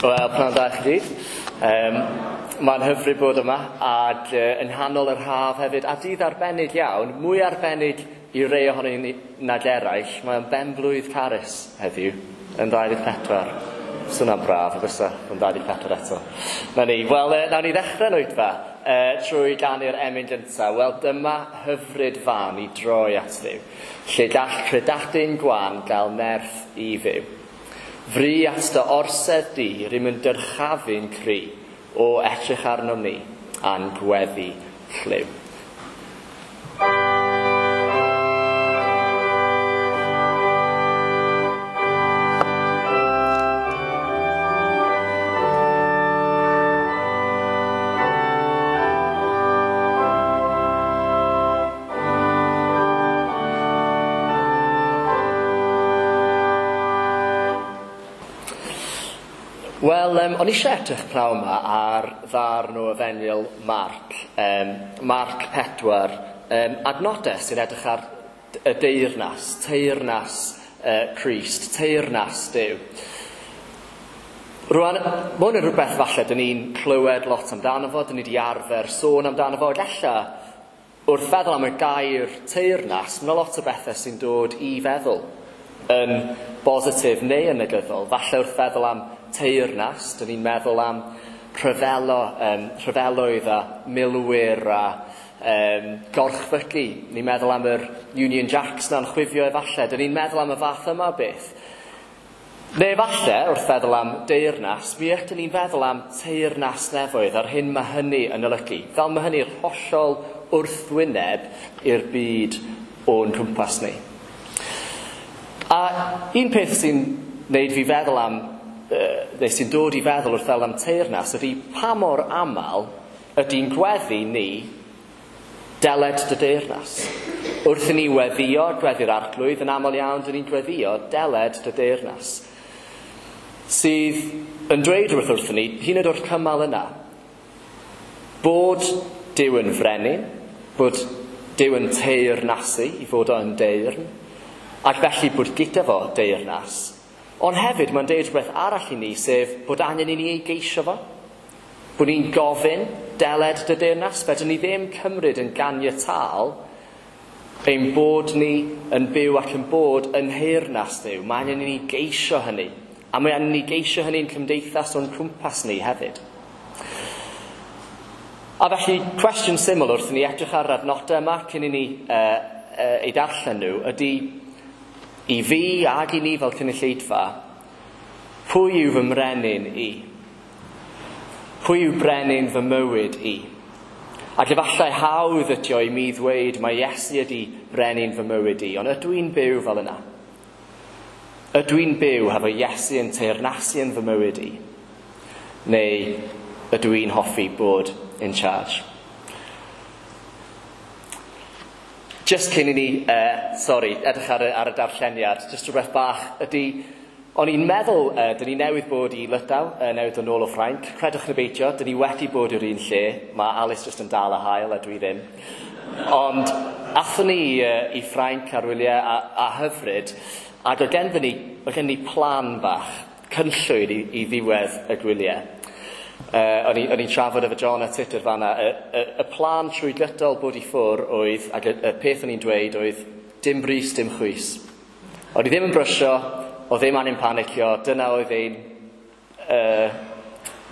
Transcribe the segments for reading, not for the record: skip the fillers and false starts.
Wel, pnawn da i chi gyd. Um, Mae'n hyfryd bod yma, ac uh, yng nghanol yr haf hefyd, a dydd arbennig iawn, mwy arbennig i rei ohonyn ni nag eraill, mae'n benblwydd Carys heddiw, yn 24. Swnio'n braf, y bysa, yn 24 eto. Na ni, wel, nawn ni ddechrau'n oedfa trwy ganu'r emyn gyntaf. Wel, dyma hyfryd fan i droi at Dduw, lle gall credadun gwan gael nerth i fyw. Fri at dy orsedd di, rym yn dyrchafu'n cry, o edrych arnom ni, a'n gweddi llyw. Wel, o'n i eisiau edrych pnawn yma ar ddarn o Efengyl Marc, Marc 4, adnodau sy'n edrych ar y deyrnas, teyrnas Crist, teyrnas Duw. Rwan, mae hwn yn rhywbeth falle dyn ni'n clywed lot amdano fo, dyn ni wedi arfer sôn amdano fo, ac ella wrth feddwl am y gair teyrnas, mae yna lot o bethau sy'n dod i feddwl yn bositif neu yn negyddol. Falle wrth feddwl am teyrnas, dyn ni'n meddwl am rhyfelo, rhyfeloedd a milwyr a gorchfygu. Ni'n meddwl am yr Union Jacks na'n chwifio efallai. Dyn ni'n meddwl am y fath yma o beth. Neu efallai, wrth feddwl am deyrnas, mi ydyn ni'n feddwl am teyrnas nefoedd a'r hyn mae hynny yn olygu. Fel mae hynny'r hollol wrthwyneb i'r byd o'n cwmpas ni. A un peth sy'n neud fi feddwl am, neu sy'n dod i feddwl wrth feddwl am teyrnas, ydy pa mor aml ydy'n gweddi ni deled dy deyrnas. Wrth i ni weddio, gweddi'r Arglwydd, yn aml iawn dyn ni'n gweddio deled dy deyrnas. Sydd yn dweud rhywbeth wrthyn ni, hyd yn oed o'r cymal yna, bod Duw yn frenin, bod Duw yn teyrnasu i fod o'n deyrn, ac felly bod gyda fo deyrnas. Ond hefyd mae'n deud rhywbeth arall i ni, sef bod angen i ni ei geisio fo. Bod ni'n gofyn deled dy deyrnas, fedrwn ni ddim cymryd yn ganiataol ein bod ni yn byw ac yn bod yn nheyrnas Duw. Mae angen i ni geisio hynny. A mae angen i ni geisio hynny'n cymdeithas o'n cwmpas ni hefyd. A felly, cwestiwn syml wrth i ni edrych ar yr adnodau yma cyn i ni ei darllen nhw ydy i fi ag i ni fel cynulleidfa, pwy yw fy mrenin i? Pwy yw brenin fy mywyd i? Ac efallai hawdd ydi o i mi ddweud mae Iesu ydi brenin fy mywyd i, ond ydw i'n byw fel yna? Ydw i'n byw hefo Iesu yn teyrnasu yn fy mywyd i? Neu ydw i'n hoffi bod in charge? Just cyn i ni, edrych ar y darlleniad, just rhywbeth bach ydy, o'n i'n meddwl, dyn ni newydd bod i Lydaw, newydd dod nôl o Ffrainc, credwch neu beidio, dyn ni wedi bod i'r un lle, mae Alice just yn dal y haul a dwi ddim. Ond athon ni i Ffrainc ar wyliau a hyfryd, ac oedd gen ni plan bach, cynllwyn i ddiwedd y gwyliau. O'n i'n trafod efo John a Tudur fanna, y plan trwy gydol bod i ffwr oedd, ac y peth o'n i'n dweud oedd, dim brys, dim chwys. O'n i ddim yn brysio, o ddim angen panicio, dyna oedd ein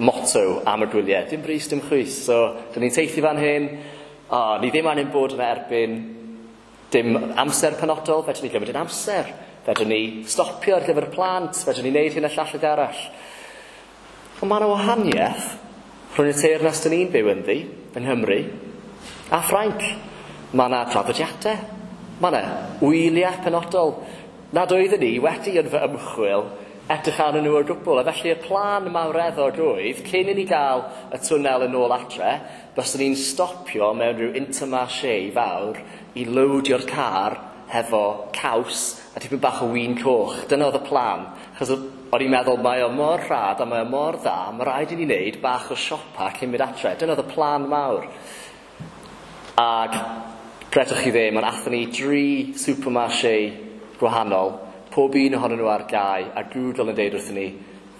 motto am y gwyliau. Dim brys, dim chwys. So, dyn ni'n teithio fan hyn, ni ddim angen bod yna erbyn dim amser penodol, fedrwn ni gymryd yn amser, fedrwn ni stopio ar gyfer y plant, fedrwn ni wneud hyn a llall ag arall. Ond mae yna wahaniaeth rhwng y teyrnas dyn ni'n byw ynddi, yng Nghymru, a Ffrainc. Mae yna traddodiadau, mae yna wyliau penodol nad oeddwn ni wedi yn fy ymchwil edrych arnyn nhw o gwbl. A felly y plan mawreddog oedd, cyn i ni gael y twnnel yn ôl adre, byswn ni'n stopio mewn rhyw Intermarché fawr i lowdio'r car hefo caws a tipyn bach o win coch. Dyna oedd y plan. Achos o'n i'n meddwl, mae o mor rhad a mae o mor dda, mae rhaid i ni wneud bach o siopa cyn mynd adre. Dyna oedd y plan mawr. Ac credwch chi ddim, ond athon ni 3 supermarché gwahanol, pob un ohonyn nhw ar gau, a Google yn deud wrthyn ni,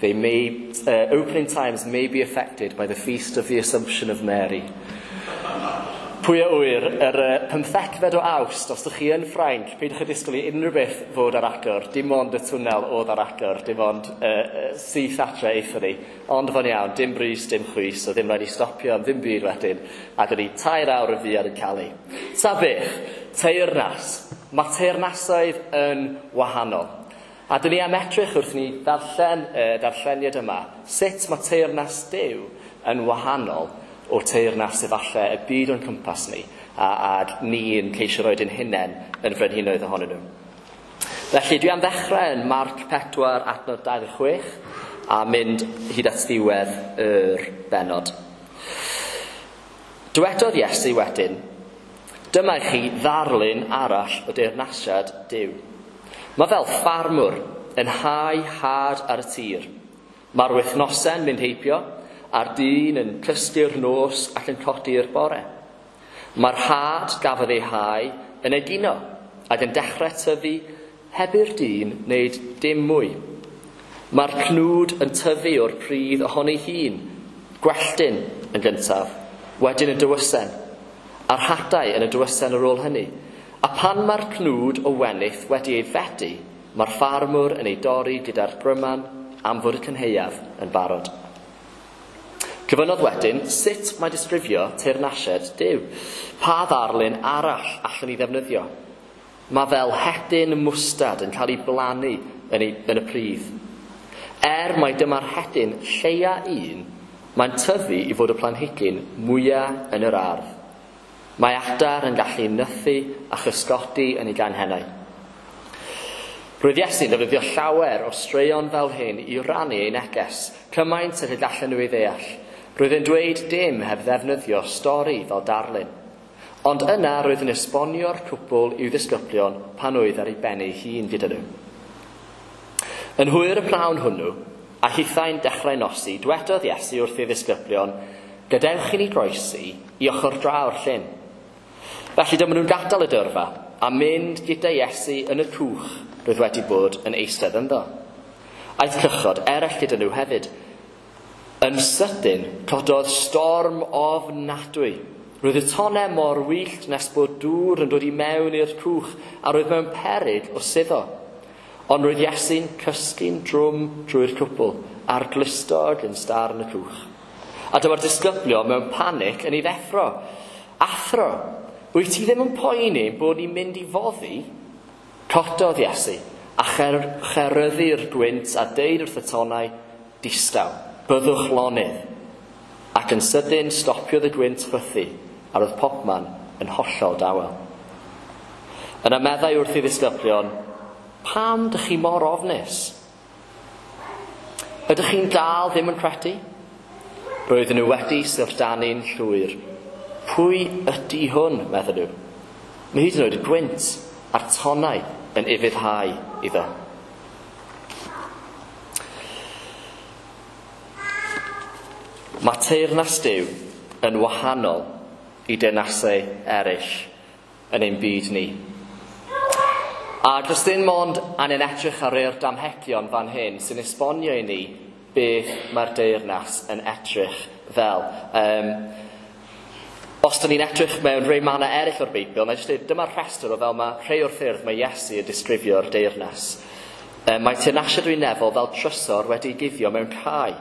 They may, opening times may be affected by the Feast of the Assumption of Mary. Pwy a ŵyr, yr 15fed o Awst, os ydych chi yn Ffrainc, peidiwch â disgwyl i unrhyw beth fod ar agor, dim ond y twnnel oedd ar agor, dim ond syth adre aethon ni. Ond fo'n iawn, dim brys, dim chwys, so ddim rhaid i stopio am ddim byd wedyn, ac o'n i 3 awr yn fuan yn Calais. Ta beth, teyrnas. Mae teyrnasoedd yn wahanol. A dyn ni am edrych wrth ni ddarllen y darlleniad yma, sut mae teyrnas Duw yn wahanol o teyrnas efallai y byd o'n cwmpas ni, a ni yn ceisio roed ein hunain yn frenhinoedd ohonyn nhw. Felly dwi am ddechrau yn Marc 4 adnod 26 a mynd hyd at ddiwedd yr bennod. Dywedodd Iesu wedyn, dyma i chi ddarlun arall o deyrnasiad Duw. Mae fel ffarmwr yn hau had ar y tir. Mae'r wythnosau'n mynd heibio, a'r dyn yn cysgu'r nos ac yn codi'r bore. Mae'r had gafodd ei hau yn egino ac yn dechrau tyfu heb i'r dyn wneud dim mwy. Mae'r cnwd yn tyfu o'r pridd ohono'i hun, gwelltyn yn gyntaf, wedyn y dywysen, a'r hadau yn y dywysen ar ôl hynny. A pan mae'r cnwd o wenith wedi ei fedu, mae'r ffarmwr yn ei dorri gyda'r bryman am fod y cynhaeaf yn barod. Cyfynnodd wedyn sut mae disgrifio teyrnasiad Duw. Pa ddarlun arall allwn ni ddefnyddio? Mae fel hedyn mwstad yn cael ei blannu yn y pridd. Er mai dyma'r hedyn lleia un, mae'n tyfu i fod y planhigyn mwyaf yn yr ardd. Mae adar yn gallu nythu a chysgodi yn ei ganghennau. Roedd Iesu'n defnyddio llawer o straeon fel hyn i rannu ei neges, cymaint ag y gallen nhw ei ddeall. Roedd e'n dweud dim heb ddefnyddio stori fel darlun. Ond yna roedd yn esbonio'r cwbl i'w ddisgyblion pan oedd ar ei ben ei hun gyda nhw. Yn hwyr y pnawn hwnnw, a hithau'n dechrau nosi, dwedodd Iesu wrth ei ddisgyblion, gadewch i ni groesi i ochr draw'r llyn. Felly dyma nhw'n gadael y dyrfa a mynd gyda Iesu yn y cwch roedd wedi bod yn eistedd ynddo. Aeth cychod eraill gyda nhw hefyd. Yn sydyn, cododd storm ofnadwy. Roedd y tonnau mor wyllt nes bod dŵr yn dod i mewn i'r cwch a roedd mewn peryg o suddo. Ond roedd Iesu'n cysgu'n drwm drwy'r cwbl a'r glustog yn starn y cwch. A dyma'r disgyblion mewn panic yn ei ddeffro. Athro, wyt ti ddim yn poeni bod ni'n mynd i foddi? Cododd Iesu a cheryddu'r gwynt a deud wrth y tonnau, distaw, byddwch lonydd. Ac yn sydyn stopiodd y gwynt chwythu a roedd popman yn hollol dawel. Yna meddai wrth ei ddisgyblion, pam dych chi mor ofnus? Ydych chi'n dal ddim yn credu? Roedden nhw wedi syfrdanu'n llwyr. Pwy ydy hwn, meddyn nhw? Mae hyd yn oed y gwynt a'r tonnau yn ufuddhau iddo. Mae teyrnas Duw yn wahanol i deyrnasau eraill yn ein byd ni. A does dim ond angen edrych ar rei'r damhegion fan hyn sy'n esbonio i ni beth mae'r deyrnas yn edrych fel. Os dyn ni'n edrych mewn rhai mannau eraill o'r Beibl, mae jyst dweud, dyma'r rhestr o fel mae rhai o'r ffyrdd mae Iesu yn disgrifio'r deyrnas. Mae teyrnasiad nefol fel trysor wedi'i guddio mewn cae.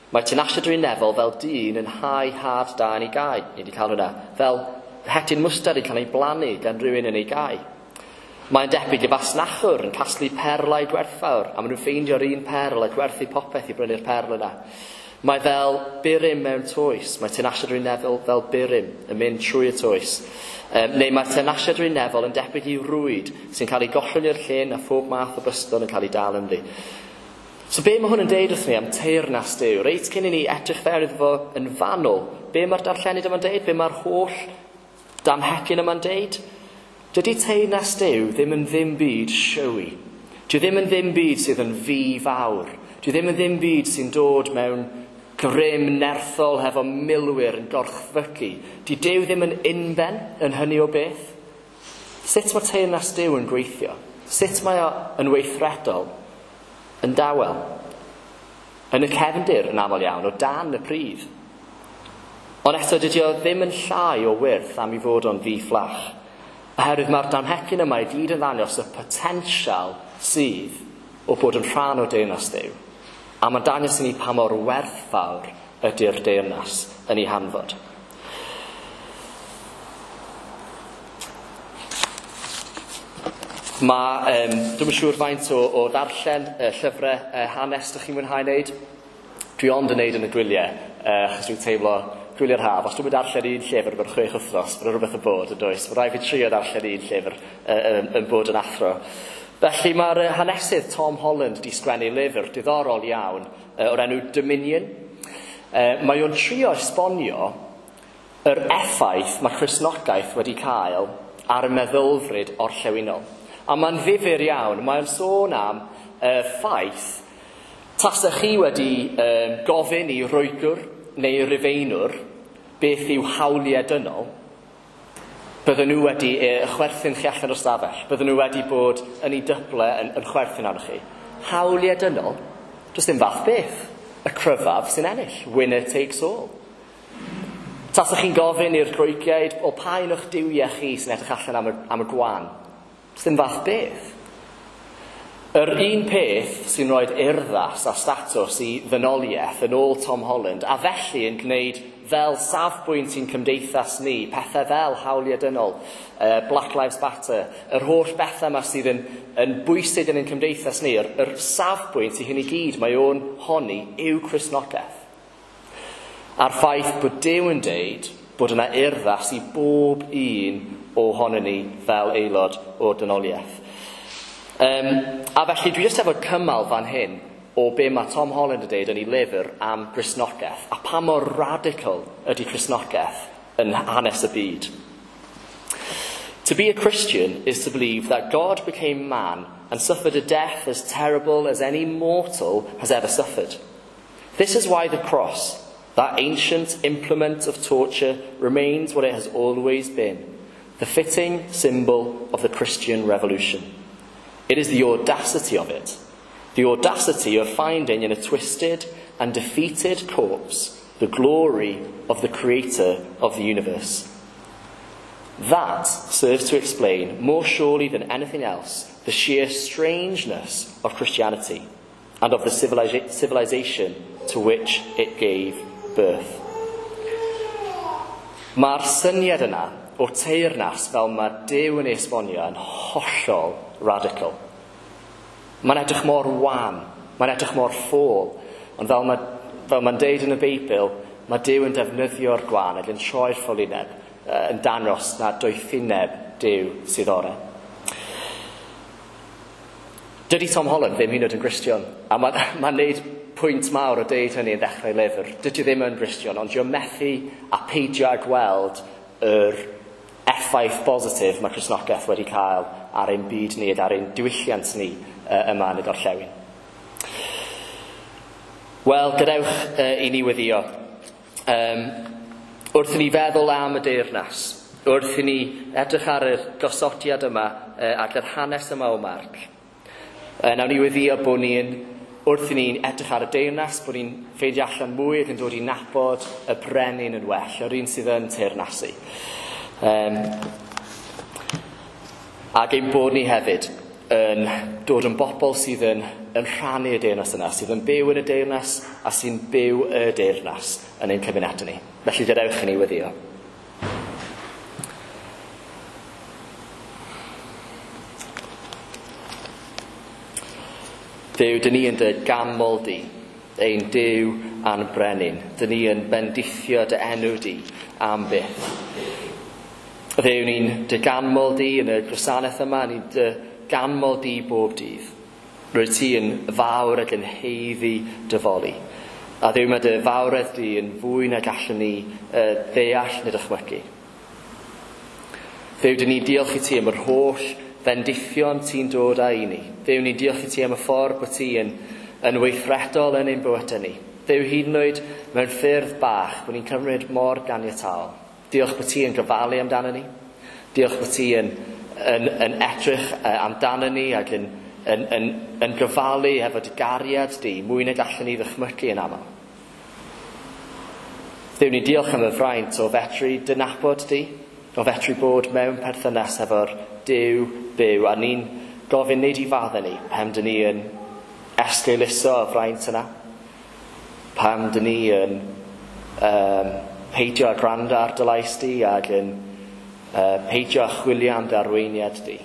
Mae teyrnasiad nefol fel dyn yn hau had da yn ei gae. Ni wedi cael hwnna. Fel hedyn mwstad yn cael ei blannu gan rhywun yn ei gae. Mae'n debyg i fasnachwr yn casglu perlau gwerthfawr, a maen nhw'n ffeindio'r un perl a gwerthu popeth i brynu'r perl yna. Mae fel burum mewn toes. Mae teyrnasiad nefol fel burum yn mynd trwy y toes. Neu mae teyrnasiad nefol yn debyg i rwyd sy'n cael ei gollwng i'r llyn a phob math o bysgod yn cael ei dal ynddi. So be mae hwn yn deud wrth ni am teyrnas Duw? Reit cyn i ni edrych fewn iddo fo yn fanwl, be mae'r darllenid yma'n deud? Be mae'r holl damhegyn yma'n deud? Dydy teyrnas Duw ddim yn ddim byd showy. Dwi ddim yn ddim byd sydd yn fi fawr. Dwi ddim yn ddim byd sy'n dod mewn grym nerthol hefo milwyr yn gorchfygu. Di Duw ddim yn unben yn hynny o beth. Sut mae teyrnas Duw yn gweithio? Sut mae o yn weithredol? Yn dawel? Yn y cefndir yn aml iawn, o dan y pridd. Ond eto dydy o ddim yn llai o wyrth am i fod o'n ddi-fflach. Oherwydd mae'r damhecyn yma i gyd yn ddangos y potensial sydd o bod yn rhan o deyrnas Dduw. A mae'n dangos i ni pa mor werthfawr ydy'r deyrnas yn ei hanfod. Mae, dwi'm yn siŵr faint o ddarllen llyfrau hanes dych chi'n mwynhau wneud. Dwi ond yn neud yn y gwyliau, achos dwi'n teimlo gwyliau'r haf. Os dwi'n darllen un llyfr mewn 6 wythnos, mae'n rhywbeth yn bod yn does. Mae rhaid fi trio darllen un llyfr yn bod yn athro. Felly mae'r hanesydd Tom Holland wedi sgwennu lyfr diddorol iawn o'r enw Dominion. Mae o'n trio esbonio yr effaith mae Cristnogaeth wedi cael ar y meddylfryd orllewinol. A mae'n ddifyr iawn, mae'n sôn am y ffaith tasech chi wedi gofyn i Roegwr neu Rufeinwr beth yw hawliau dynol, bydden nhw wedi chwerthin chi allan o'r stafell, bydden nhw wedi bod yn ei dyble yn chwerthin arnoch chi. Hawliau dynol, does dim fath beth. Y cryfaf sy'n ennill. Winner takes all. Tasech chi'n gofyn i'r Groegiaid, o pa un o'ch duwiau chi sy'n edrych allan am y gwan? Does dim fath beth. Yr un peth sy'n rhoi urddas a statws i ddynoliaeth yn ôl Tom Holland, a felly yn gwneud fel safbwynt i'n cymdeithas ni, pethau fel hawliau dynol, Black Lives Matter, yr holl bethau yma sydd yn bwysig yn ein cymdeithas ni, yr safbwynt i hyn i gyd mae o'n honni yw Cristnogaeth. A'r ffaith bod Duw yn deud bod yna urddas i bob un ohonon ni fel aelod o'r dynoliaeth. A felly dwi jyst efo cymal fan hyn o be mae Tom Holland yn deud yn ei lyfr am Gristnogaeth, a pa mor radical ydy Cristnogaeth yn hanes y byd. To be a Christian is to believe that God became man and suffered a death as terrible as any mortal has ever suffered. This is why the cross, that ancient implement of torture, remains what it has always been, the fitting symbol of the Christian revolution. It is the audacity of it, the audacity of finding in a twisted and defeated corpse the glory of the creator of the universe. That serves to explain, more surely than anything else, the sheer strangeness of Christianity and of the civilization to which it gave birth. Mae'r syniad yna o teyrnas fel mae Duw yn ei esbonio yn hollol radical. Mae'n edrych mor wan, mae'n edrych mor ffôl, ond fel mae'n deud yn y Beibl, mae Duw yn defnyddio'r gwan ac yn troi'r ffolineb, yn dangos na doethineb Duw sydd orau. Dydy Tom Holland ddim hyd yn oed yn Gristion, a mae'n neud pwynt mawr o deud hynny yn ddechrau lyfr. Dydy ddim yn Gristion, ond dwi'n methu a peidio â gweld yr effaith bositif mae Cristnogaeth wedi cael ar ein byd ni ac ar ein diwylliant ni yma yn y gorllewin. Wel, gadewch i ni weddio. Wrth i ni feddwl am y deyrnas, wrth i ni edrych ar y gosodiad yma ac yr hanes yma o Marc, nawn ni weddio bod ni'n, wrth i ni'n edrych ar y deyrnas, bod ni'n ffeindio allan mwy ac yn dod i nabod y brenin yn well, yr un sydd yn teyrnasu. Ac ein bod ni hefyd yn dod yn bobl sydd yn rhannu y deyrnas yna, sydd yn byw yn y deyrnas a sy'n byw y deyrnas yn ein cymunedau ni. Felly gadewch i ni weddio. Dduw, dyn ni yn dy ganmol di, ein Duw a'n brenin. Dyn ni yn bendithio dy enw di am byth. Dduw, ni'n dy ganmol di yn y gwasanaeth yma, ni'n dy ganmol di bob dydd. Rwyt ti yn fawr ac yn haeddu dy foli. A Dduw, mae dy fawredd di yn fwy na gallwn ni ddeall neu dychmygu. Dduw, dyn ni'n diolch i ti am yr holl fendithion ti'n dod â i ni. Dduw, ni'n diolch i ti am y ffordd bod ti yn weithredol yn ein bywydau ni. Dduw, hyd yn oed mewn ffyrdd bach, bod ni'n cymryd mor ganiataol. Diolch bod ti yn gofalu amdano ni. Diolch bod ti yn edrych amdano ni ac yn yn gofalu efo dy gariad di, mwy nag allan ni ddychmygu yn aml. Dduw, ni'n diolch am y fraint o fedru dy nabod di, o fedru bod mewn perthynas efo'r Duw byw, a ni'n gofyn wneud i faddau ni pam dyn ni yn esgeuluso y fraint yna, pam dyn ni yn peidio â gwrando ar dy lais di ac yn peidio â chwilio am dy arweiniad di.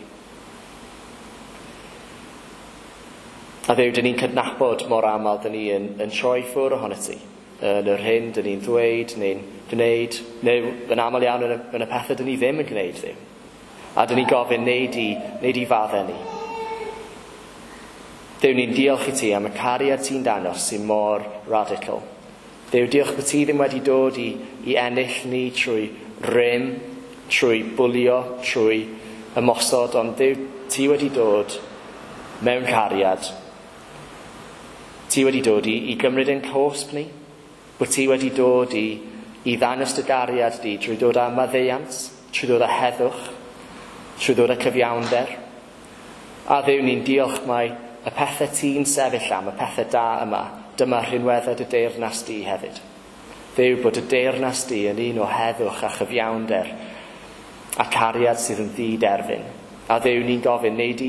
A Dduw, dyn ni'n cydnabod mor aml dyn ni yn troi ffwrdd ohonot ti, yn yr hyn dyn ni'n ddweud neu'n gwneud, neu yn aml iawn yn y pethau dyn ni ddim yn gwneud, Dduw. A dyn ni'n gofyn, wneud i faddau ni. Dduw, ni'n diolch i ti am y cariad ti'n dangos sy'n mor radical. Dduw, diolch bod ti ddim wedi dod i ennill ni trwy rym, trwy bwlio, trwy ymosod, ond Dduw, ti wedi dod mewn cariad. Ti wedi dod i gymryd ein cosb ni, bod ti wedi dod i ddangos dy gariad di trwy dod â maddeuant, trwy dod â heddwch, trwy ddod â cyfiawnder. A Dduw, ni'n diolch mai y pethau ti'n sefyll am, y pethau da yma, dyma rhinweddau dy deyrnas di hefyd. Dduw, bod y deyrnas di yn un o heddwch a chyfiawnder a cariad sydd yn ddiderfyn. A Dduw, ni'n gofyn, wneud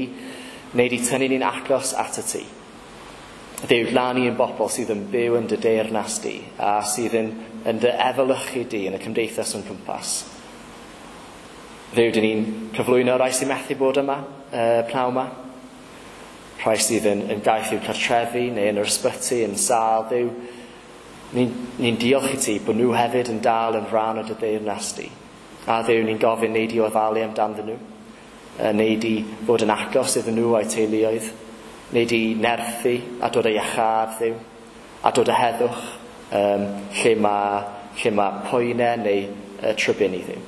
i tynnu ni'n agos at y ti. Dduw, glan ni yn bobl sydd yn byw yn dy deyrnas di a sydd yn dy efelychu di yn y cymdeithas o'n cwmpas. Dduw, dyn ni'n cyflwyno rai sy'n methu bod yma, pnawn yma. Rhai sydd yn gaeth i'w cartrefi neu yn yr ysbyty, yn sâl. Dduw, ni'n diolch i ti bod nhw hefyd yn dal yn rhan o dy deyrnas di. A Dduw, ni'n gofyn wneud i ofalu amdanddyn nhw, wneud i fod yn agos iddyn nhw a'u teuluoedd, wneud i nerthu a dod â iachâd, Dduw, a dod â heddwch lle mae poenau neu trybini, Dduw.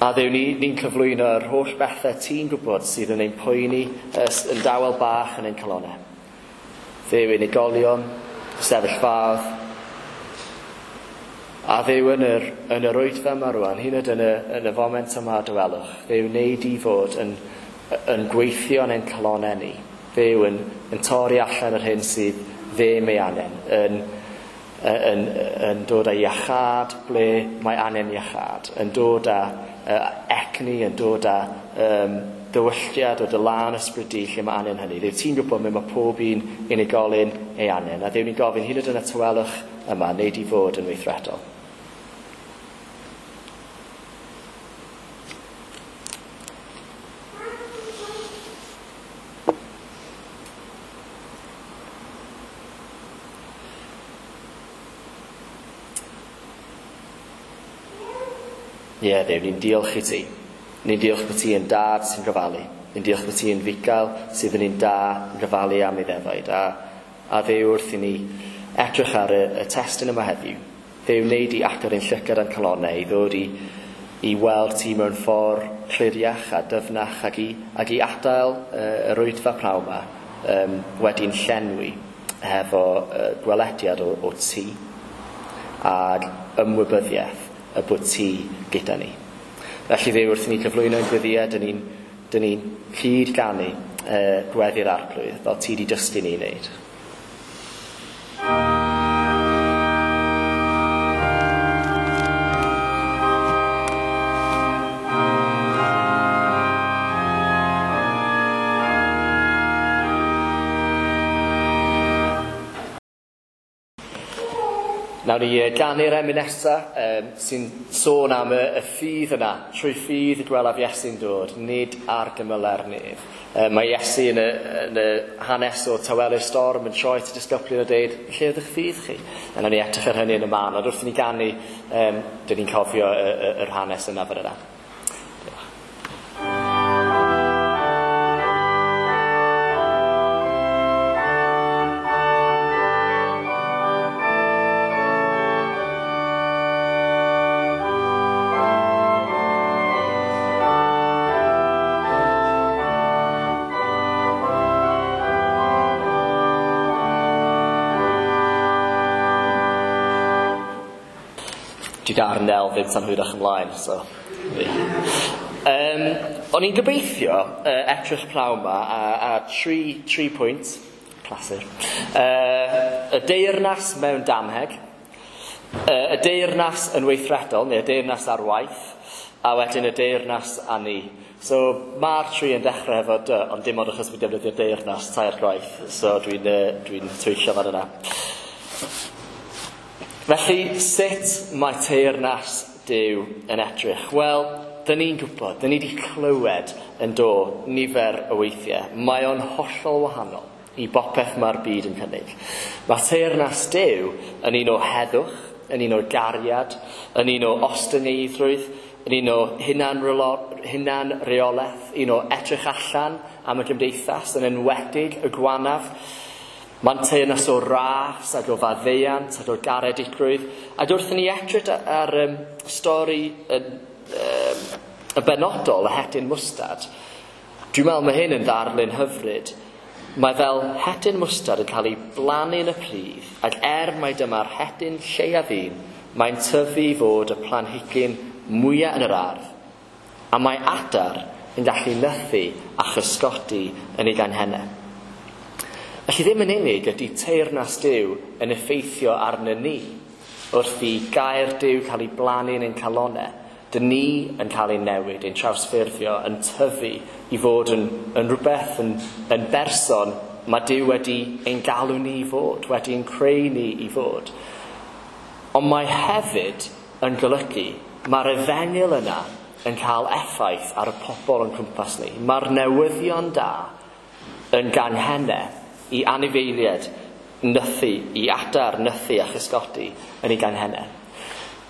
A Dduw, ni'n cyflwyno yr holl bethau ti'n gwybod sydd yn ein poeni yn dawel bach yn ein calonnau. Dduw, unigolion, sefyllfaoedd. A Dduw, yn yr oedfa yma rwan, hyd yn oed yn y foment yma o dawelwch, Dduw, wneud i fod yn gweithio yn ein calonnau ni. Dduw, yn torri allan yr hyn sydd ddim ei angen, yn dod â iachâd ble mae angen iachâd, yn dod â egni, yn dod â dywylliad o dy lân ysbryd di lle mae angen hynny. Dduw, ti'n gwybod mae pob un unigolyn ei angen, a Dduw, ni'n gofyn hyd yn oed yn y tawelwch yma, wneud i fod yn weithredol. Ie, Dduw, ni'n diolch i ti. Ni'n diolch bod ti yn dad sy'n gofalu. Ni'n diolch bod ti yn fugail sydd yn un da yn gofalu am ei ddefaid. A Dduw, wrth i ni edrych ar y testun yma heddiw, Dduw, wneud i agor ein llygad a'n calonnau i ddod i weld ti mewn ffordd cliriach a dyfnach ac i adael yr oedfa pnawn yma wedi'n llenwi hefo gwelediad o ti ac ymwybyddiaeth y bod ti gyda ni. Felly Dduw, wrth i ni cyflwyno ein gweddïau, dyn ni'n cyd-ganu gweddi'r Arglwydd fel ti di dysgu ni i wneud. Nawn ni ganu'r emyn nesa sy'n sôn am y ffydd yna. Trwy ffydd y gwelaf Iesu'n dod, nid ar gymylau'r nef. Mae Iesu yn y hanes o tawelu'r storm yn troi at y disgyblion a deud, lle oedd eich ffydd chi? A nawn ni edrych ar hynny yn y man, ond wrth i ni ganu, dyn ni'n cofio yr hanes yna fan yna. Dwi ar Nel ddim tan hwyrach ymlaen, so... Yeah. O'n i'n gobeithio edrych pnawn 'ma a tri pwynt, clasur. Y deyrnas mewn damheg, y deyrnas yn weithredol, neu y deyrnas ar waith, a wedyn y deyrnas a ni. So mae'r tri yn dechrau efo dy, ond dim ond achos fi'n defnyddio deyrnas tair gwaith, so dwi'n twyllo fan yna. Felly, sut mae teyrnas Duw yn edrych? Wel, dyn ni'n gwybod, dyn ni wedi clywed yn do nifer o weithiau. Mae o'n hollol wahanol i bopeth mae'r byd yn cynnig. Mae teyrnas Duw yn un o heddwch, yn un o gariad, yn un o ostyngeiddrwydd, yn un o hunanreolaeth, un o edrych allan am y gymdeithas, yn enwedig y gwanaf. Mae'n teyrnas o ras ac o faddeuant ac o garedigrwydd. Ac wrth i ni edrych ar stori y benodol, y hedyn mwstad, dwi'n meddwl mae hyn yn ddarlun hyfryd. Mae fel hedyn mwstad yn cael ei blannu yn y pridd, ac mai dyma'r hedyn lleiaf un, mae'n tyfu i fod y planhigyn mwyaf yn yr ardd. A mae adar yn gallu nythu a chysgodi yn ei ganghennau. Felly ddim yn unig ydy teyrnas Duw yn effeithio arno ni, wrth i gair Duw cael ei blannu yn ein calonnau, dyn ni yn cael ei newid, ein trawsffurfio, yn tyfu i fod yn rhywbeth, yn berson mae Duw wedi ein galw ni i fod, wedi ein creu ni i fod. Ond mae hefyd yn golygu, mae'r efengyl yna yn cael effaith ar y pobl o'n cwmpas ni. Mae'r newyddion da yn ganghennau i anifeiliaid nythu, i adar nythu a chysgodi yn ei ganghennau.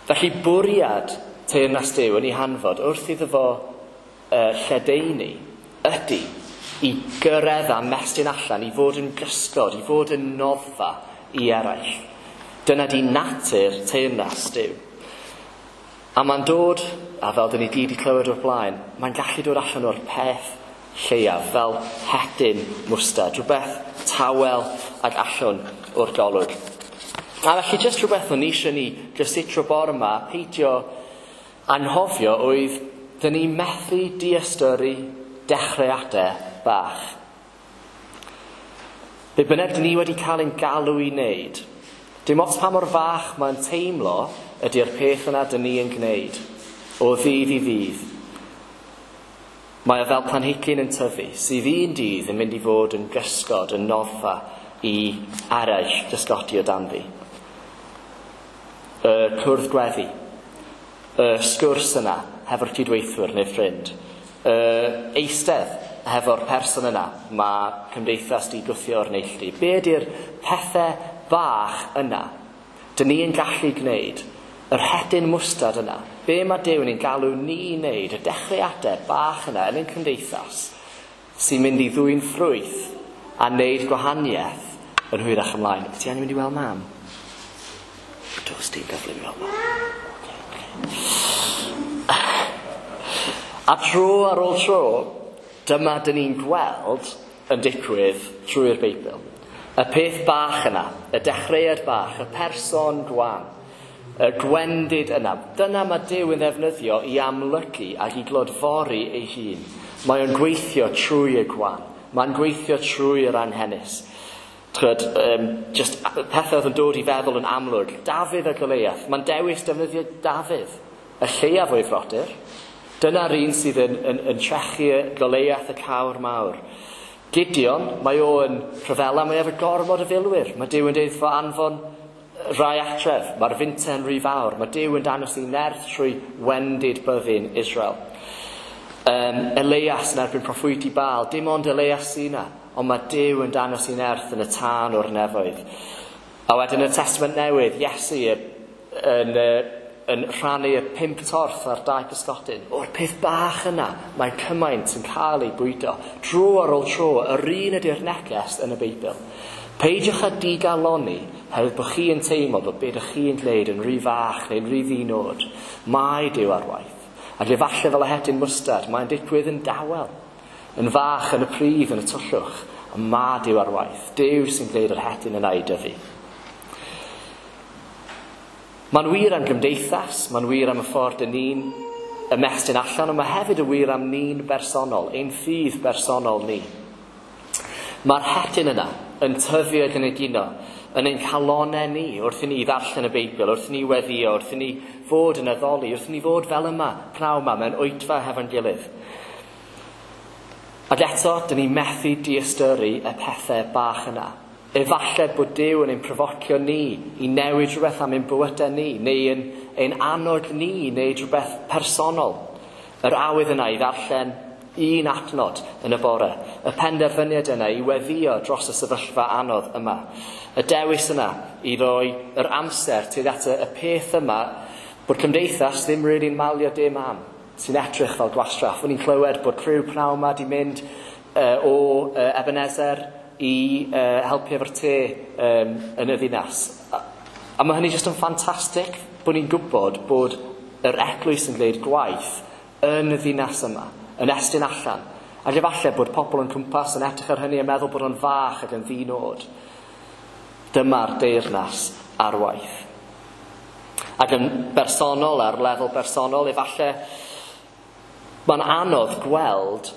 Felly bwriad teyrnas Duw yn ei hanfod wrth iddo fo lledaenu ydy i gyrraedd a mestyn allan, i fod yn gysgod, i fod yn noddfa i eraill. Dyna di natur teyrnas Duw. A mae'n dod, a fel dyn ni gyd 'di clywed o'r blaen, mae'n gallu dod allan o'r peth lleiaf, fel hedyn mwstad, rhywbeth tawel ag allan o'r golwg. A felly jyst rhywbeth o'n i eisiau ni gysutro bore yma, peidio anghofio oedd dyn ni methu diystyru dechreuadau bach. Be bynnag dyn ni wedi cael ein galw i wneud, dim ots pa mor fach mae'n teimlo ydy'r peth yna dyn ni yn gwneud, o ddydd i ddydd. Mae o fel planhigyn yn tyfu, sydd un dydd yn mynd i fod yn gysgod, yn noddfa i eraill gysgodi o danddi. Y cwrdd gweddi, y sgwrs yna hefo'r cydweithwyr neu ffrind, y eistedd hefo'r person yna mae cymdeithas di gwthio o'r neilltu. Be ydy'r pethau bach yna dyn ni yn gallu gwneud, yr hedyn mwstad yna, be mae Duw yn ein galw ni i wneud, y dechreuadau bach yna yn ein cymdeithas sy'n mynd i ddwyn ffrwyth a wneud gwahaniaeth yn hwyrach ymlaen. Ti angen mynd i weld mam? Does dim gyfle i weld mam. Okay. A tro ar ôl tro, dyma dyn ni'n gweld yn digwydd trwy'r Beibl. Y peth bach yna, y dechreuad bach, y person gwan, y gwendid yna. Dyna mae Duw yn ddefnyddio i amlygu ac i glodfori ei hun. Mae o'n gweithio trwy y gwan. Mae'n gweithio trwy yr anghenus. Tchwyd, just pethau oedd yn dod i feddwl yn amlwg. Dafydd a Goliath. Mae'n dewis defnyddio Dafydd, y lleiaf o'i frodyr. Dyna'r un sydd yn trechu Goliath y cawr mawr. Gideon, mae o yn rhyfela, mae efo gormod o filwyr. Mae Duw yn deud fo anfon rai atref, mae'r finte'n rhy fawr. Mae Duw yn dangos ei nerth trwy wendid byddin Israel. Elias yn erbyn proffwydi Baal, dim ond Elias sy'n yna, ond mae Duw yn dangos ei nerth yn y tân o'r nefoedd. A wedyn y Testament Newydd, Iesu yn rhannu y 5 torth a'r 2 pysgodyn. O'r peth bach yna, mae cymaint yn cael ei bwydo. Dro ar ôl tro, yr un ydy'r neges yn y Beibl. Peidiwch â digalonni, herwydd bod chi yn teimlo bod beth ydych chi'n gwneud yn rhy fach neu'n rhy ddinod. Mae Duw ar waith. Ac efallai fel y hedyn mwstad, mae'n digwydd yn dawel, yn fach, yn y pridd, yn y tyllwch. Ond mae Duw ar waith. Duw sy'n gwneud yr hedyn yna i dyfu. Mae'n wir am gymdeithas, mae'n wir am y ffordd dyn ni'n ymestyn allan, ond mae hefyd yn wir am ni'n bersonol, ein ffydd bersonol ni. Mae'r hedyn yna yn tyfu ac yn egino yn ein calonau ni wrth i ni ddarllen y Beibl, wrth i ni weddïo, wrth i ni fod yn addoli, wrth i ni fod fel yma, pnawn yma, mewn oedfa hefo'n gilydd. Ac eto, dyn ni methu diystyru y pethau bach yna. Efallai bod Duw yn ein profocio ni i newid rhywbeth am ein bywydau ni, neu yn ein annog ni i wneud rhywbeth personol. Yr awydd yna i ddarllen un adnod yn y bore, y penderfyniad yna i weddïo dros y sefyllfa anodd yma, y dewis yna i roi yr amser tuag at y peth yma bod cymdeithas ddim really'n malio dim am, sy'n edrych fel gwastraff. O'n i'n clywed bod criw pnawn yma di mynd o Ebenezer i helpu efo'r te yn y ddinas. A mae hynny jyst yn ffantastig bod ni'n gwybod bod yr eglwys yn gwneud gwaith yn y ddinas yma, yn estyn allan. Ac efallai bod pobl yn cwmpas yn edrych ar hynny a meddwl bod o'n fach ac yn ddinod. Dyma'r deyrnas ar waith. Ac yn bersonol, ar lefel bersonol, efallai mae'n anodd gweld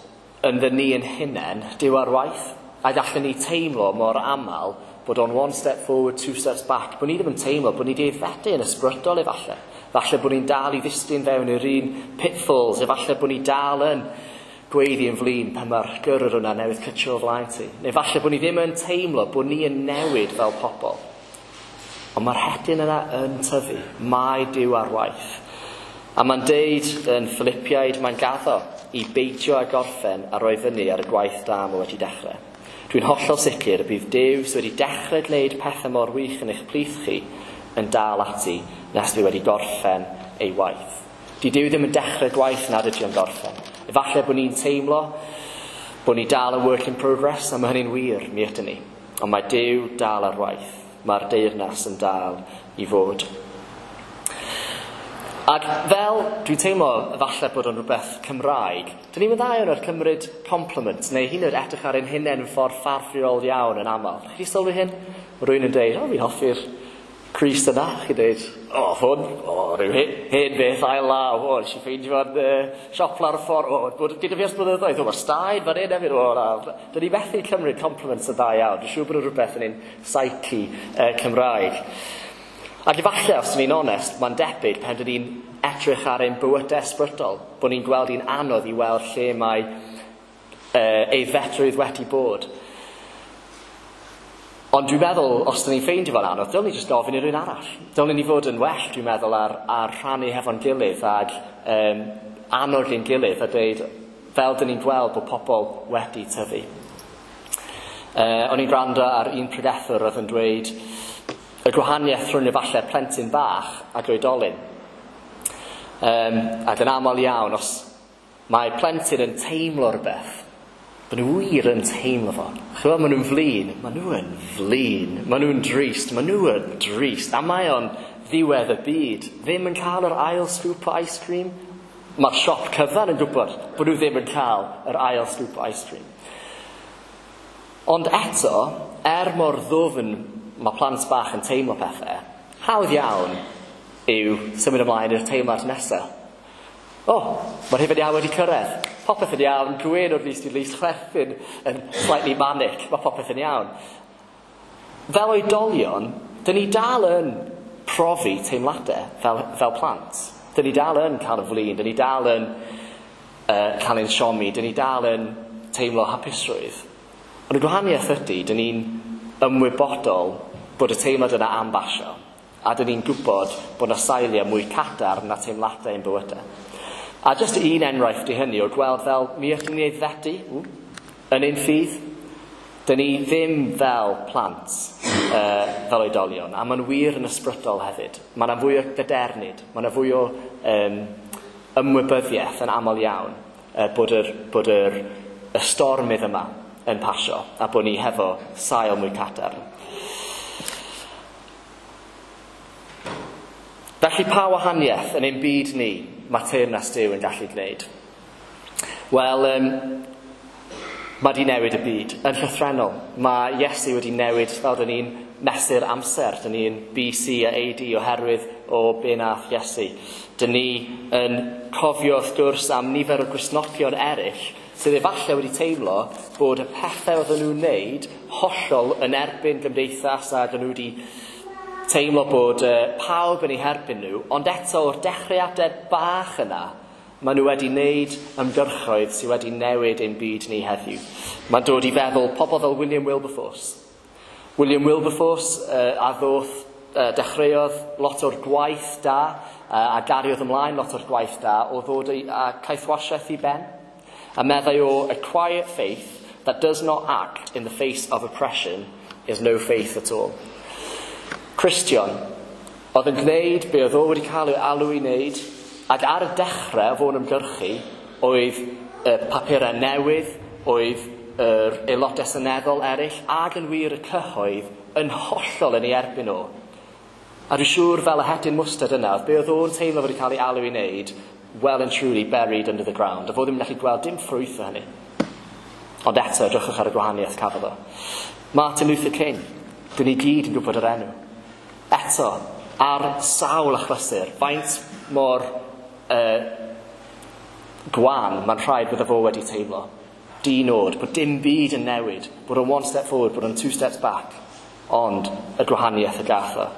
yn ddyn ni yn hunain Duw ar waith. A gallen ni teimlo mor aml bod o'n one step forward, two steps back. Bod ni ddim yn teimlo bod ni wedi aeddfedu yn ysbrydol efallai. Falle bod ni'n dal i ddisgyn fewn i'r un pitfalls. Efallai bod ni dal yn gweiddi yn flin pan mae'r gyrrwr yna newydd cytio o flaen ti. Neu falle bod ni ddim yn teimlo bod ni yn newid fel pobl. Ond mae'r hedyn yna yn tyfu. Mae Duw ar waith. A mae'n deud yn Philippiaid, mae'n gaddo i beidio â gorffen a roi fyny ar y gwaith da mae wedi dechrau. Dwi'n hollol sicr y bydd Duw sydd wedi dechrau gwneud pethau mor wych yn eich plith chi yn dal ati nes bydd wedi gorffen ei waith. Di Duw ddim yn dechrau gwaith nad ydy o'n gorffen. Efallai bod ni'n teimlo bod ni dal yn work in progress, a mae hynny'n wir, mi ydyn ni. Ond mae Duw dal ar waith. Mae'r deyrnas yn dal i fod. Ac fel dwi'n teimlo efallai bod o'n rhywbeth Cymraeg, dyn ni'n dda iawn ar cymryd compliment, neu hyd yn oed edrych ar ein hunain yn ffordd ffafriol iawn yn aml. Chi wedi sylwi hyn? Mae rhywun yn deud, o, fi'n hoffi'r crys yna. Chi'n deud, o, hwn, o, rhyw hen beth ail law, o, nes i ffeindio fo'n siop lawr y ffordd, o, bod gyda fi ers blynyddoedd, o, mae'r staen fan hyn hefyd, o, na. Dyn ni methu cymryd compliments yn dda iawn. Dwi'n siŵr bod o'n rhywbeth yn ein psyche Cymraeg. Ac efallai, os ni'n onest, mae'n debyg pan dyn ni'n edrych ar ein bywydau ysbrydol, bod ni'n gweld hi'n anodd i weld lle mae aeddfedrwydd wedi bod. Ond dwi'n meddwl, os dyn ni'n ffeindio fo'n anodd, dylwn ni jyst gofyn i rywun arall. Dylwn ni fod yn well, dwi'n meddwl, ar rhannu hefo'n gilydd ac annog ein gilydd a dweud, fel dyn ni'n gweld bod pobl wedi tyfu. O'n i'n gwrando ar un pregethwr oedd yn dweud y gwahaniaeth rhwng efallai plentyn bach ac oedolyn. Ac yn aml iawn, os mae plentyn yn teimlo rhywbeth, maen nhw wir yn teimlo fo. Chymod, maen nhw'n flin, maen nhw yn flin, maen nhw'n drist, maen nhw yn drist. A mae o'n ddiwedd y byd, ddim yn cael yr ail scoop o ice cream. Mae'r siop cyfan yn gwybod bod nhw ddim yn cael yr ail scoop o ice cream. Ond eto, er mor ddwfn mae plant bach yn teimlo pethau, hawdd iawn yw symud ymlaen i'r teimlad nesaf. O, mae'r hufen iâ wedi cyrraedd. Popeth yn iawn, gwên o'r glust i glust, chwerthin yn slightly manic, mae popeth yn iawn. Fel oedolion, dyn ni dal yn profi teimladau fel plant. Dyn ni dal yn cael y flin, dyn ni dal yn cael ein siomi, dyn ni dal yn teimlo hapusrwydd. Ond y gwahaniaeth ydy, dyn ni'n ymwybodol bod y teimlad yna am basio, a dyn ni'n gwybod bod yna sailiau mwy cadarn na teimladau ein bywydau. A jyst un enghraifft i hynny o gweld fel mi ydyn ni aeddfedu yn ein ffydd. Dyn ni ddim fel plant, fel oedolion, a mae'n wir yn ysbrydol hefyd. Mae yna fwy o gadernid, mae yna fwy o ymwybyddiaeth yn aml iawn bod y stormydd yma yn pasio, a bod ni hefo sail mwy cadarn. Felly pa wahaniaeth yn ein byd ni mae teyrnas Duw yn gallu gwneud? Wel, Mae di newid y byd. Yn llythrennol, mae Iesu wedi newid fel dyn ni'n mesur amser. Dyn ni'n BC a AD oherwydd o be nath Iesu. Dyn ni yn cofio wrth gwrs am nifer o Gristnogion eraill sydd efallai wedi teimlo bod y pethau oedden nhw'n wneud hollol yn erbyn gymdeithas a dyn nhw wedi teimlo bod pawb yn eu herbyn nhw, ond eto o'r dechreuadau bach yna, maen nhw wedi wneud ymgyrchoedd sydd wedi newid ein byd ni heddiw. Mae'n dod i feddwl pobl fel William Wilberforce. William Wilberforce a ddoth, dechreuodd lot o'r gwaith da a gariodd ymlaen lot o'r gwaith da o ddod a caethwasiaeth i ben. A meddai o, "A quiet faith that does not act in the face of oppression is no faith at all." Cristion, oedd yn gwneud be oedd o wedi cael ei alw i wneud, ac ar y dechrau o fo'n ymgyrchu, oedd y papurau newydd, oedd yr aelodau seneddol eraill, ac yn wir y cyhoedd yn hollol yn ei erbyn o. A dwi'n siŵr fel y hedyn mwstard yna, oedd be oedd o'n teimlo wedi cael ei alw i wneud, well and truly buried under the ground. A fo ddim yn gallu gweld dim ffrwyth o hynny. Ond eto, edrychwch ar y gwahaniaeth cafodd o. Martin Luther King, dyn ni gyd yn gwybod yr enw. Eto, ar sawl achlysur, faint mor gwan mae'n rhaid bydde fo wedi teimlo. Di-nod, bod dim byd yn newid, bod o'n one step forward, bod o'n two steps back, ond y gwahaniaeth y gath o.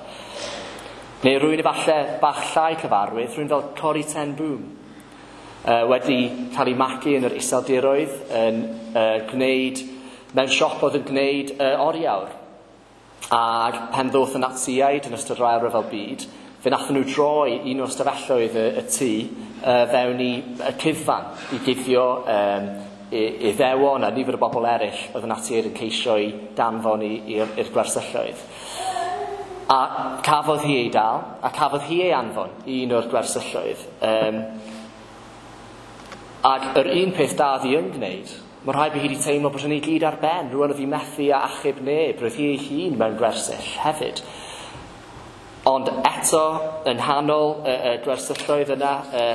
Neu rhywun efallai bach llai cyfarwydd, rhywun fel Corrie ten Boom, wedi cael ei magu yn yr Iseldiroedd, yn gwneud, mewn siop oedd yn gwneud oriawr. Ac pen ddoth y Natsiaid yn ystod yr Ail Ryfel Byd, fe nathon nhw droi un o'r stafelloedd y tŷ fewn i y cuddfan i guddio Iddewon a nifer o bobl eraill oedd y Natsiaid yn ceisio i danfon i'r gwersylloedd. A cafodd hi ei dal, a cafodd hi ei anfon i un o'r gwersylloedd. Ac yr un peth da ddi yn gwneud, mae rhaid bod hi wedi teimlo bod hynny gyd ar ben. Rwan oedd hi methu a achub neb, roedd hi ei hun mewn gwersyll hefyd. Ond eto, yn nghanol y gwersylloedd yna,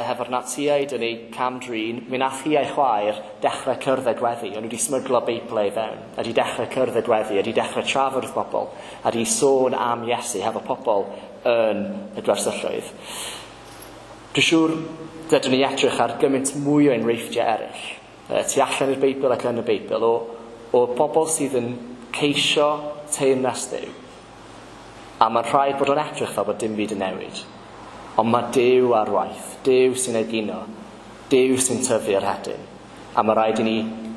hefo'r Natsiaid yn ei cam-drin, mi nath hi a'i chwaer dechrau cyrdded gweddi. O'n nhw wedi smyglo Beiblau i fewn, a wedi dechrau cyrdded gweddi, a wedi dechrau trafod wrth bobl, a wedi sôn am Iesu hefo pobl yn y gwersylloedd. Dwi'n siŵr dydyn ni edrych ar gymaint mwy o enghreifftiau eraill, tu allan i'r Beibl ac yn y Beibl, o bobl sydd yn ceisio teyrnas Dduw. A mae'n rhaid bod o'n edrych fel bod dim byd yn newid. Ond mae Duw ar waith, Duw sy'n egino, Duw sy'n tyfu ar hedyn. A mae rhaid i ni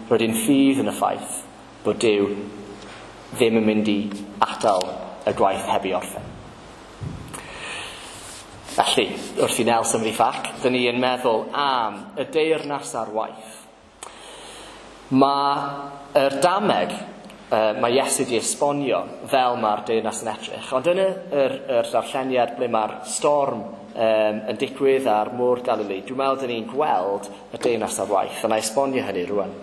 roed ein ffydd yn y ffaith bod Duw ddim yn mynd i atal y gwaith heb ei orffen. Felly, wrth i Nel symud i ffac, dyn ni yn meddwl am y deyrnas ar waith. Mae'r dameg, mae Iesu wedi esbonio fel mae'r deyrnas yn edrych, ond yn yr darlleniad ble mae'r storm yn digwydd ar môr Galilei, dwi'n meddwl dyn ni'n gweld y deyrnas ar waith, a na esbonio hynny rwan.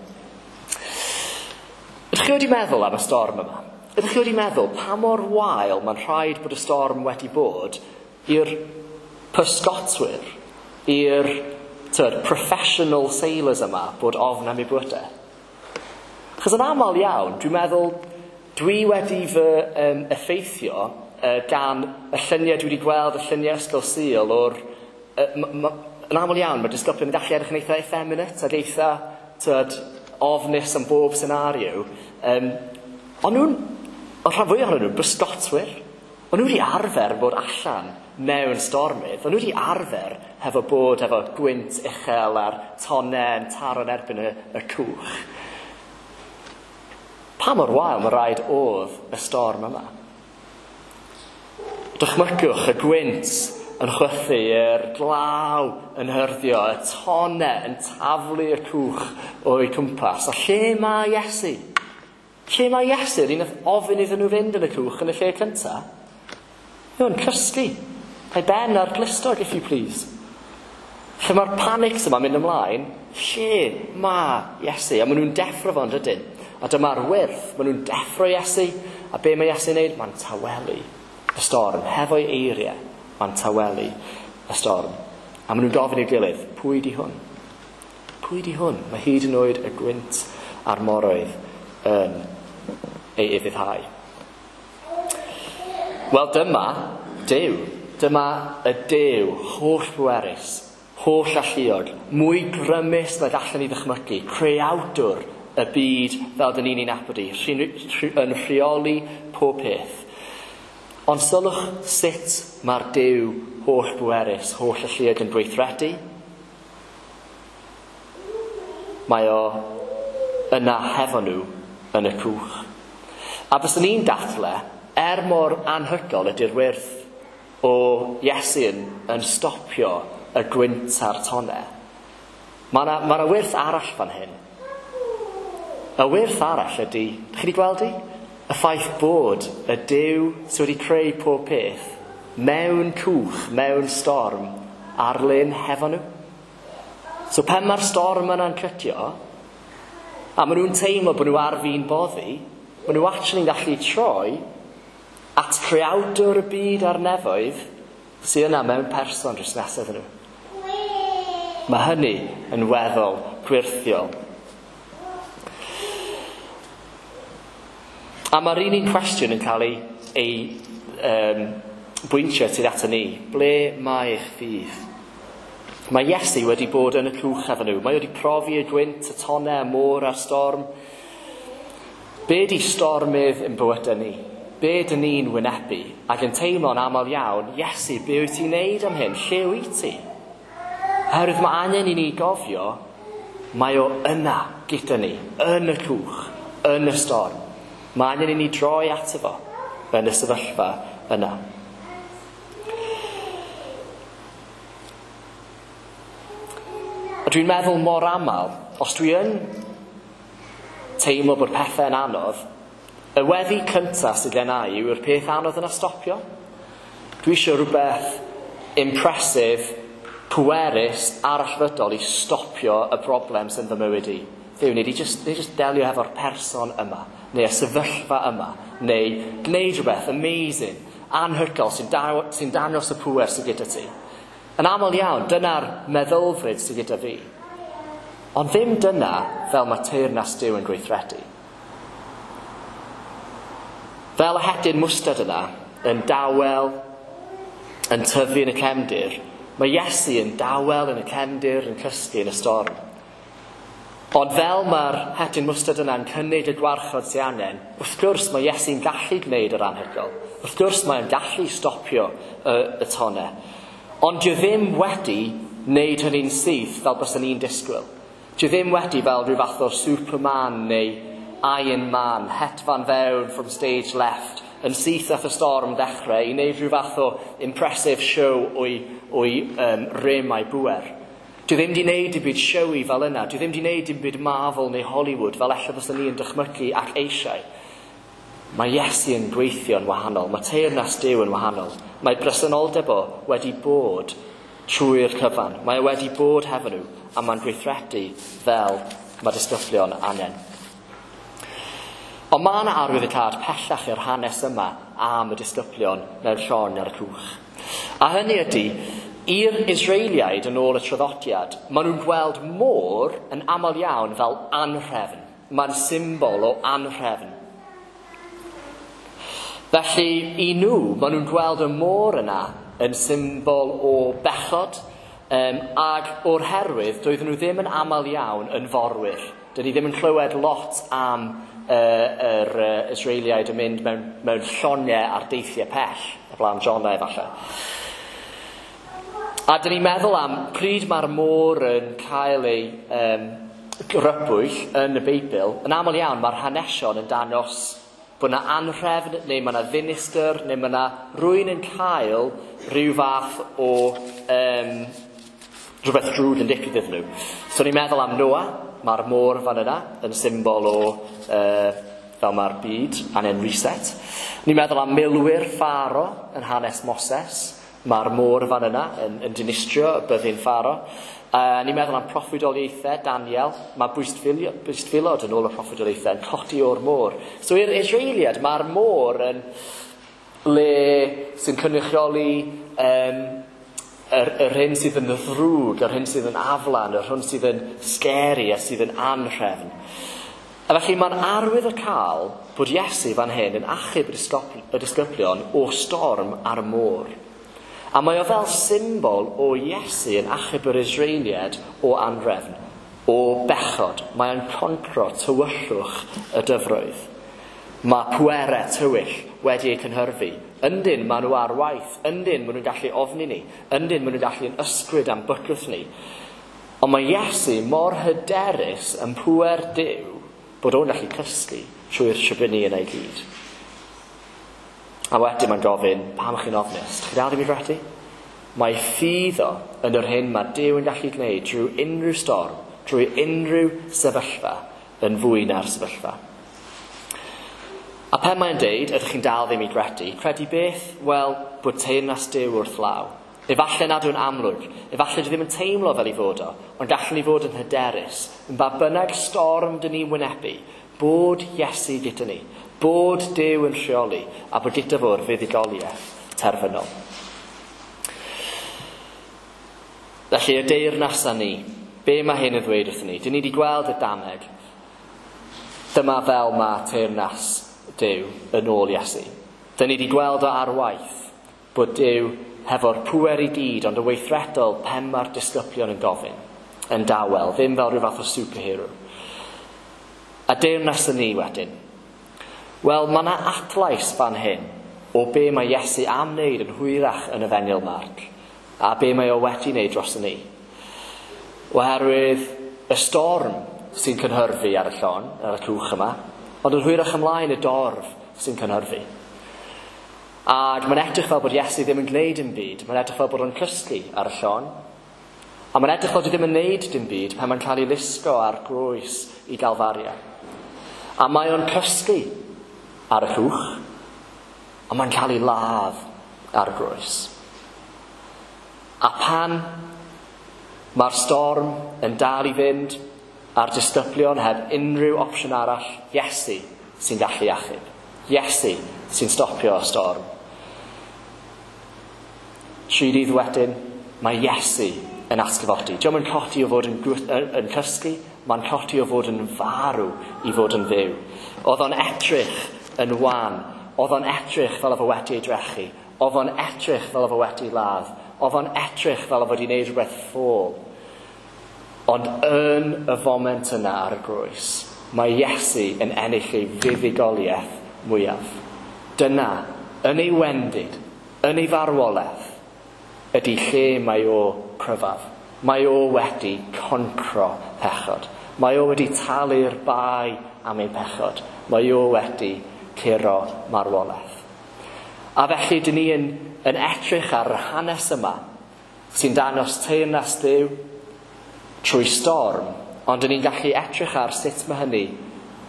Ydych chi wedi meddwl am y storm yma? Ydych chi wedi meddwl pa mor wael mae'n rhaid bod y storm wedi bod i'r pysgotwyr, i'r professional sailors yma bod ofn am eu bywydau? Achos yn aml iawn, dwi'n meddwl, dwi wedi fy effeithio gan y lluniau dwi wedi gweld, y lluniau Ysgol Sul o'r... Yn aml iawn, mae disgyblion yn gallu edrych yn eitha effeminate ac eitha ofnus am bob senario. Ond nhw'n, o'r rhan fwyaf ohonyn nhw'n bysgotwyr. O'n nhw wedi arfer bod allan mewn stormydd. O'n nhw wedi arfer hefo bod efo gwynt uchel a'r tonnau yn taro'n erbyn y cwch. Pa mor wael mae rhaid oedd y storm yma? Dychmygwch y gwynt yn chwythu, yr glaw yn hyrddio, y tonnau yn taflu y cwch o'i cwmpas. A lle mae Iesu? Lle mae Iesu? Yr un nath ofyn iddyn nhw fynd yn y cwch yn y lle cyntaf? Mae'n cysgu. Ei ben ar glustog, if you please. Lle mae'r panics yma'n mynd ymlaen, lle mae Iesu? A maen nhw'n deffro fo, yn dydyn? A dyma'r wyrth, maen nhw'n deffro Iesu, a be mae Iesu'n neud? Mae'n tawelu y storm. Hefo'i eiriau, mae'n tawelu y storm. A maen nhw'n gofyn i'w gilydd, pwy di hwn? Pwy di hwn? Mae hyd yn oed y gwynt a'r moroedd yn ei ufuddhau. Wel dyma Duw. Dyma y Duw holl bwerus, holl alluog, mwy grymus nag allan ni ddychmygu, creawdwr y byd fel dyn ni'n ei nabod i, yn rheoli pob peth. Ond sylwch sut mae'r Duw holl bwerus, holl alluog yn gweithredu. Mae o yna hefo nhw yn y cwch. A byswn ni'n dadle, er mor anhygoel ydy'r wyrth o Iesu yn stopio y gwynt a'r tonnau, mae yna ma wyrth arall fan hyn. Y wyrth arall ydy, chi wedi gweld i? Y ffaith bod y Duw sydd wedi creu pob peth mewn cwch, mewn storm, ar lyn hefo nhw. So pen mae'r storm yna'n cytio, a maen nhw'n teimlo bod nhw ar fin boddi, maen nhw actually'n gallu troi at creawdwr y byd a'r nefoedd sydd yna mewn person drws nesaf iddyn nhw. Mae hynny yn weddol gwyrthiol. A mae'r un un cwestiwn yn cael ei bwyntio tuag ato ni. Ble mae eich ffydd? Mae Iesu wedi bod yn y cwch efo nhw. Mae wedi profi y gwynt, y tonnau, y môr a'r storm. Be di stormydd yn bywydau ni? Be dyn ni'n wynebu? Ac yn teimlo'n aml iawn, Iesu, be wyt ti'n neud am hyn? Lle wyt ti? Oherwydd mae angen i ni gofio, mae o yna gyda ni, yn y cwch, yn y storm. Mae angen i ni droi ato fo yn y sefyllfa yna. A dwi'n meddwl mor aml, os dwi yn teimlo bod pethau'n anodd, y weddi cyntaf sydd gen i yw'r peth anodd yna stopio. Dwi eisiau rhywbeth impressive, pwerus, arallfydol i stopio y broblem sy'n fy mywyd i. Dduw, neu di just delio hefo'r person yma, neu y sefyllfa yma, neu gwneud rhywbeth amazing, anhygoel sy'n dangos y pŵer sydd gyda ti. Yn aml iawn, dyna'r meddylfryd sydd gyda fi. Ond ddim dyna fel mae teyrnas Duw yn gweithredu. Fel y hedyn mwstad yna, yn dawel, yn tyfu yn y cefndir, mae Iesu yn dawel yn y cefndir, yn cysgu yn y storm. Ond fel mae'r hedyn mwstad yna'n cynnig y gwarchod sy'n angen, wrth gwrs mae Iesu'n gallu gwneud yr anhygoel. Wrth gwrs mae'n gallu stopio y tonnau. Ond dyw ddim wedi wneud hynny'n syth fel byswn ni'n disgwyl. Dyw ddim wedi fel rhyw fath o Superman neu Iron Man, hedfan fewn from stage left, yn syth ath y storm ddechrau i wneud rhyw fath o impressive show o'i rym a'i bŵer. Dwi ddim wedi wneud dim byd showy fel yna. Dwi ddim wedi wneud dim byd Marvel neu Hollywood fel ella fyswn ni yn dychmygu ac eisiau. Mae Iesu yn gweithio'n wahanol. Mae teyrnas Duw yn wahanol. Mae presenoldeb o wedi bod trwy'r cyfan. Mae o wedi bod hefo nhw a mae'n gweithredu fel mae disgyblion angen. Ond mae yna arwyddocâd pellach i'r hanes yma am y disgyblion mewn llong ar y cwch. A hynny ydy, i'r Israeliaid yn ôl y traddodiad, maen nhw'n gweld môr yn aml iawn fel anhrefn. Mae'n symbol o anhrefn. Felly, i nhw, maen nhw'n gweld y môr yna yn symbol o bechod, ac o'r herwydd, doedden nhw ddim yn aml iawn yn forwyr. Dyn ni ddim yn clywed lot am yr Israeliaid yn mynd mewn llongau ar deithiau pell, o blaen Jonah efallai. A dyn ni'n meddwl am pryd mae'r môr yn cael ei grybwyll yn y Beibl, yn aml iawn mae'r hanesion yn dangos bod yna anhrefn, neu mae yna ddinistr, neu mae yna rywun yn cael rhyw fath o rhywbeth drwg yn digwydd iddyn nhw. So ni'n meddwl am Noah, mae'r môr fan yna yn symbol o fel mae'r byd angen reset. Ni'n meddwl am milwyr Pharaoh yn hanes Moses. Mae'r môr fan yna yn dinistrio y byddin Pharaoh. Ni'n meddwl am proffwydoliaethau Daniel. Mae bwystfilod yn ôl y proffwydoliaethau yn codi o'r môr. So i'r Israeliad, mae'r môr yn le sy'n cynrychioli yr hyn sydd yn ddrwg, yr hyn sydd yn aflan, yr hyn sydd yn scary a sydd yn anhrefn. A felly mae'n arwydd o cael bod Iesu fan hyn yn achub y disgyblion o storm ar y môr. A mae o fel symbol o Iesu yn achub yr Israeliad o anrefn, o bechod. Mae o'n concro tywyllwch y dyfroedd. Mae pwerau tywyll wedi eu cynhyrfu. Yndyn, maen nhw ar waith. Yndyn, maen nhw'n gallu ofni ni. Yndyn, maen nhw'n gallu yn ysgwyd am bycwth ni. Ond mae Iesu mor hyderus yn pŵer Duw bod o'n gallu cysgu trwy'r tribuni yna i gyd. A wedyn mae'n gofyn, pam chi'n ofnus? Chi dal ddim i gredu? Mae ffydd o yn yr hyn mae Duw yn gallu gwneud drwy unrhyw storm, drwy unrhyw sefyllfa, yn fwy na'r sefyllfa. A pen mae'n deud, ydych chi'n dal ddim i gredu, credu beth? Wel, bod teyrnas Duw wrth law. Efallai nad yw'n amlwg, efallai dwi ddim yn teimlo fel ei fod o, ond gallwn ni fod yn hyderus, yn ba bynnag storm dyn ni'n wynebu, bod Iesu gyda ni, bod Duw yn rheoli, a bod gyda fo'r fuddugoliaeth terfynol. Felly, y deyrnas â ni, be mae hyn yn ddweud wrthyn ni? Dyn ni wedi gweld y dameg. Dyma fel mae teyrnas Duw yn ôl Iesu. Dyn ni wedi gweld o ar waith bod Duw hefo'r pŵer i gyd, ond y weithredol pen mae'r disgyblion yn gofyn, yn dawel, ddim fel rhyw fath o superhero. A deyrnas yn ni wedyn. Wel, mae yna adlais fan hyn o be mae Iesu am wneud yn hwyrach yn Efengyl Marc, a be mae o wedi wneud dros ni. Oherwydd y storm sy'n cynhyrfu ar y llon, ar y cwch yma, ond yn hwyrach ymlaen y dorf sy'n cynhyrfu. Ac mae'n edrych fel bod Iesu ddim yn gwneud dim byd, mae'n edrych fel bod o'n cysgu ar y llon. A mae'n edrych fel bod ddim yn gwneud dim byd pan mae'n cael ei lusgo ar groes i Galfaria. A mae o'n cysgu ar y llwch, a mae'n cael ei ladd ar y groes. A pan mae'r storm yn dal i fynd, a'r disgyblion heb unrhyw opsiwn arall, Iesu sy'n gallu achub. Iesu sy'n stopio y storm. 3 dydd wedyn, mae Iesu yn atgyfodi. Dio'm yn codi o fod yn cysgu, mae'n codi o fod yn farw i fod yn fyw. Oedd o'n edrych yn wan, oedd o'n edrych fel oedd o wedi ei drechu, oedd o'n edrych fel oedd o wedi ladd, oedd o'n edrych fel oedd o wedi gwneud rhywbeth ffôl. Ond yn y foment yna ar y groes, mae Iesu yn ennill ei fuddugoliaeth mwyaf. Dyna, yn ei wendid, yn ei farwolaeth, ydy lle mae o cryfaf. Mae o wedi concro pechod. Mae o wedi talu'r bai am ein pechod. Mae o wedi curo marwolaeth. A felly, dyn ni yn edrych ar yr hanes yma sy'n dangos teyrnas Duw trwy storm, ond dyn ni'n gallu edrych ar sut mae hynny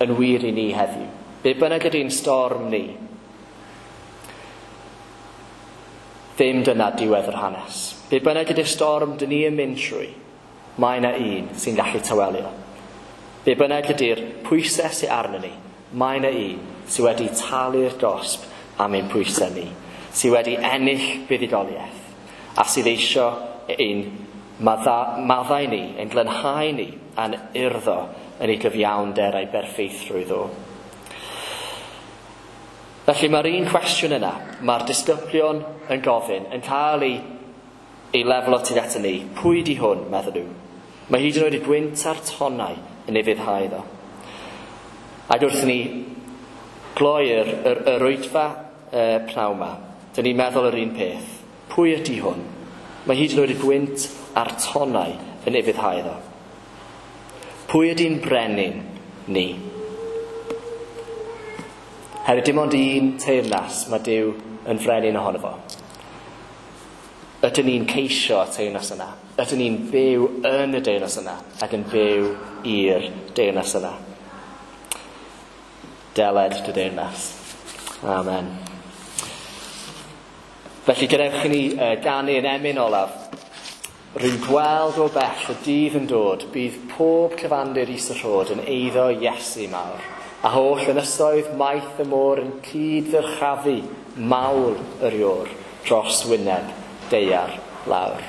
yn wir i ni heddiw. Be bynnag ydy'n storm ni, ddim dyna diwedd yr hanes. Be bynnag ydy'r storm dyn ni yn mynd trwy, mae yna un sy'n gallu tawelio. Be bynnag ydy'r pwysau sy'n arno ni, mae yna un sydd wedi talu'r gosb am ein pwysau ni, sydd wedi ennill buddugoliaeth, a sydd eisio ein maddau ni, ein glanhau ni, a'n urddo yn ei gyfiawnder a'i berffeithrwydd o. Felly mae'r un cwestiwn yna, mae'r disgyblion yn gofyn, yn cael ei lefel o tuag at ni. Pwy di hwn, meddwl nhw? Mae hyd yn oed y gwynt a'r tonnau yn ei fuddhau iddo. Ac wrth ni gloi'r yr oedfa pnawn yma, dyn ni'n meddwl yr un peth. Pwy ydy hwn? Mae hyd yn oed y gwynt a'r tonnau yn ei fuddhau iddo. Pwy ydy'n brenin ni? Hefyd dim ond un teyrnas mae Duw yn frenin ohono fo. Ydyn ni'n ceisio y teyrnas yna? Ydyn ni'n byw yn y deyrnas yna ac yn byw i'r deyrnas yna? Deled dy deyrnas. Amen. Felly gadewch i ni ganu yn emyn olaf. Rwy'n gweld o bell y dydd yn dod, bydd pob cyfandir is y rhod yn eiddo Iesu mawr. A holl ynysoedd maith y môr yn cyd-ddyrchafu mawl yr iôr dros wyneb daear lawr.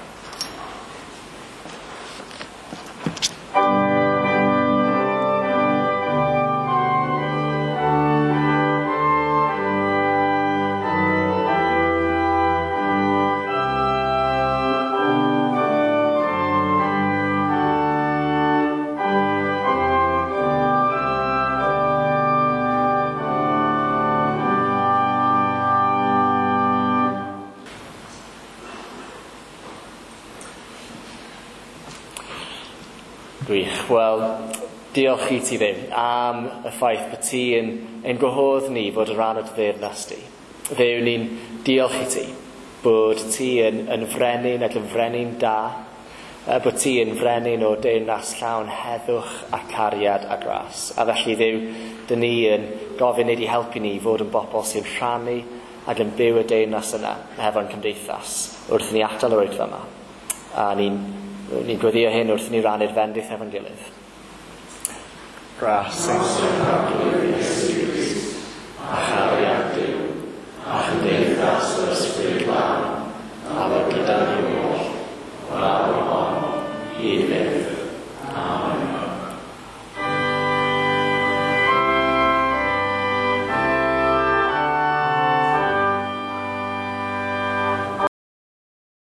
Gwych. Wel, diolch i ti Dduw am y ffaith bod ti yn ein gwahodd ni fod yn rhan o dy deyrnas di. Dduw, ni'n diolch i ti bod ti yn, yn frenin ac yn frenin da, bod ti yn frenin o deyrnas llawn heddwch a cariad a gras. A felly Dduw, dyn ni yn gofyn i di helpu ni i fod yn bobl sy'n rhannu ac yn byw y deyrnas yna hefo'n cymdeithas wrth i ni adael yr oedfa yma. A ni'n ni gweddio hyn wrth i ni rannu'r fendith efo'n gilydd. Gras.